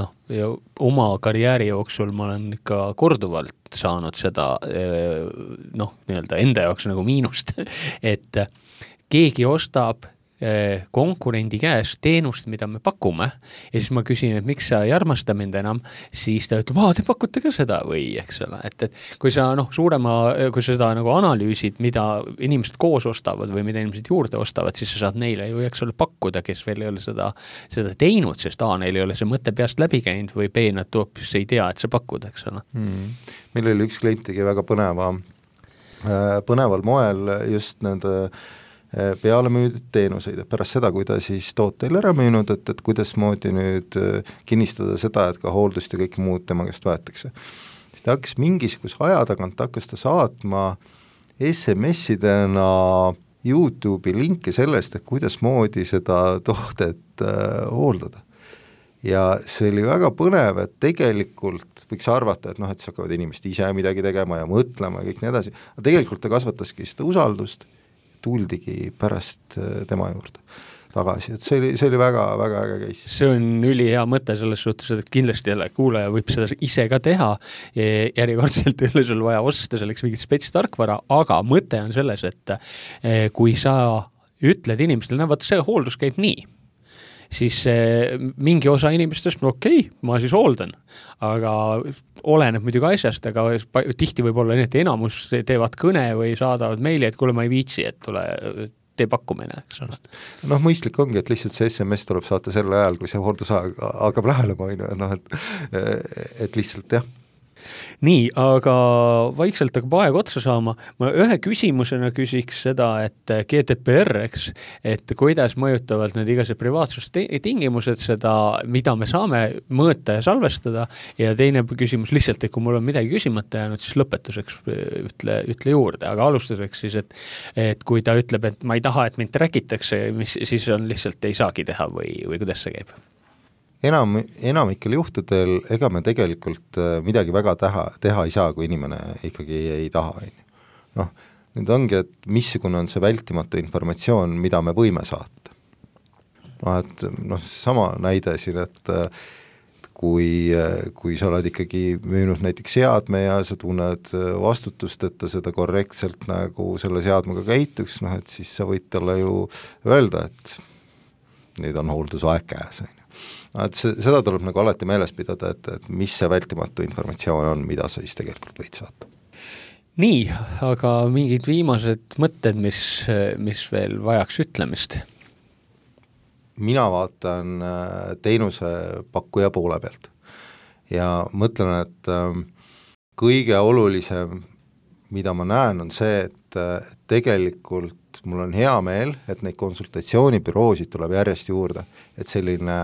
oma karjääri jooksul ma olen ikka korduvalt saanud seda nii-öelda enda jaoks nagu miinust, et keegi ostab konkurendi käest teenust, mida me pakume, ja siis ma küsin, et miks sa ei armasta mind enam, siis ta ütleb, te pakute ka seda või, eks ole, et kui sa kui seda nagu analüüsid, mida inimesed koos ostavad või mida inimesed juurde ostavad, siis sa saad neile ju, eks ole, pakkuda, kes veel ei ole seda teinud, sest neil ei ole see mõte peast läbi käinud või B, nad hoopis ei tea, et sa pakud, eks ole. Meil oli üks klient tegi väga põneval moel just nende peale müüdud teenuseid, et pärast seda, kui ta siis tooteil ära müünud, et kuidas moodi nüüd kinnistada seda, et ka hooldust ja kõik muud tema käest võetakse. Ta hakkas mingisuguse aja tagant ta saatma SMS-idena YouTube'i linki sellest, et kuidas moodi seda toodet hooldada. Ja see oli väga põnev, et tegelikult võiks arvata, et et siis hakkavad inimesed ise midagi tegema ja mõtlema ja kõik nii edasi, aga tegelikult ta kasvataski seda usaldust, tuldigi pärast tema juurde tagasi, et see oli väga, väga äge case. See on ülihea mõte selles suhtes, et kindlasti jälle kuulaja võib seda ise ka teha, järjekordselt ei ole sul vaja osta selleks mingit spetstarkvara, aga mõte on selles, et kui sa ütled inimestele, vaata see hooldus käib nii, siis mingi osa inimestest, ma siis hooldan, aga oleneb muidugi asjast, aga tihti võib olla nii, et enamus teevad kõne või saadavad meili, et kuule, ma ei viitsi, et tule tee pakkumine, eks ole. Mõistlik ongi, et lihtsalt see SMS tuleb saata selle ajal, kui see hooldusaeg hakkab lähenema, et lihtsalt jah. Nii, aga vaikselt hakkab aeg otsa saama. Ma ühe küsimusena küsiks seda, et GDPR, eks, et kuidas mõjutavad need igased privaatsustingimused seda, mida me saame mõõta ja salvestada, ja teine küsimus lihtsalt, et kui mul on midagi küsimata jäänud, siis lõpetuseks ütle juurde, aga alustuseks siis, et kui ta ütleb, et ma ei taha, et mind trackitakse, siis on lihtsalt ei saagi teha või kuidas see käib? Enamikel juhtudel ega me tegelikult midagi väga teha ei saa, kui inimene ikkagi ei taha. Nüüd ongi, et missugune on see vältimatu informatsioon, mida me võime saata. Sama näide siin, et kui sa oled ikkagi müünud näiteks seadme ja sa tunned vastutust, et ta seda korrektselt nagu selle seadmega käituks, et siis sa võid talle ju öelda, et nüüd on hooldusaeg käes. Seda tuleb nagu alati meeles pidada, et mis see vältimatu informatsioon on, mida sa siis tegelikult võid saata. Nii, aga mingid viimased mõtted, mis veel vajaks ütlemist? Mina vaatan teenuse pakkuja poole pealt ja mõtlen, et kõige olulisem, mida ma näen, on see, et tegelikult mul on hea meel, et neid konsultatsioonibüroosid tuleb järjest juurde, et selline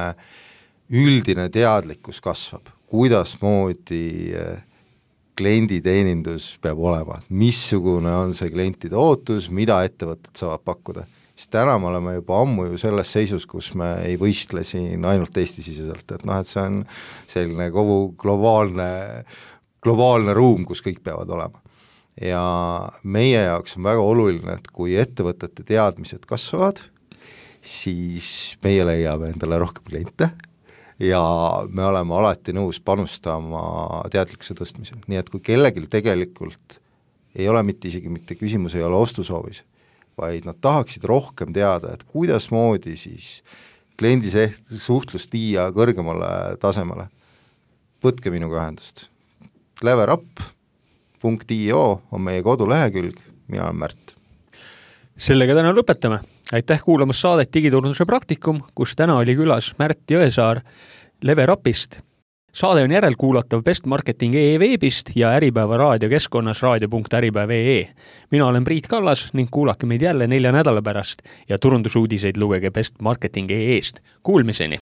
üldine teadlikkus kasvab, kuidas moodi klienditeenindus peab olema, missugune on see klientide ootus, mida ettevõtted saavad pakkuda. Sest täna me oleme juba ammu ju selles seisus, kus me ei võistle siin ainult Eesti-siseselt, et see on selline kogu globaalne ruum, kus kõik peavad olema. Ja meie jaoks on väga oluline, et kui ettevõtete teadmised kasvavad, siis meie leiame endale rohkem kliente ja me oleme alati nõus panustama teadlikkuse tõstmisel. Nii et kui kellelgi tegelikult ei ole isegi mitte küsimus, ei ole ostusoovis, vaid nad tahaksid rohkem teada, et kuidas moodi siis kliendi suhtlust viia kõrgemale tasemele. Võtke minuga ühendust. leverup.io on meie kodulehekülg, mina olen Märt. Sellega täna lõpetame. Aitäh kuulamas saadet Digiturunduse praktikum, kus täna oli külas Märt Jõesaar Leverupist. Saade on järelkuulatav Best Marketing veebist ja Äripäeva raadiokeskkonnas raadio.äripäev.ee. Mina olen Priit Kallas ning kuulake meid jälle 4 nädala pärast ja turundusuudiseid lugege Best Marketing.ee-st. Kuulmiseni!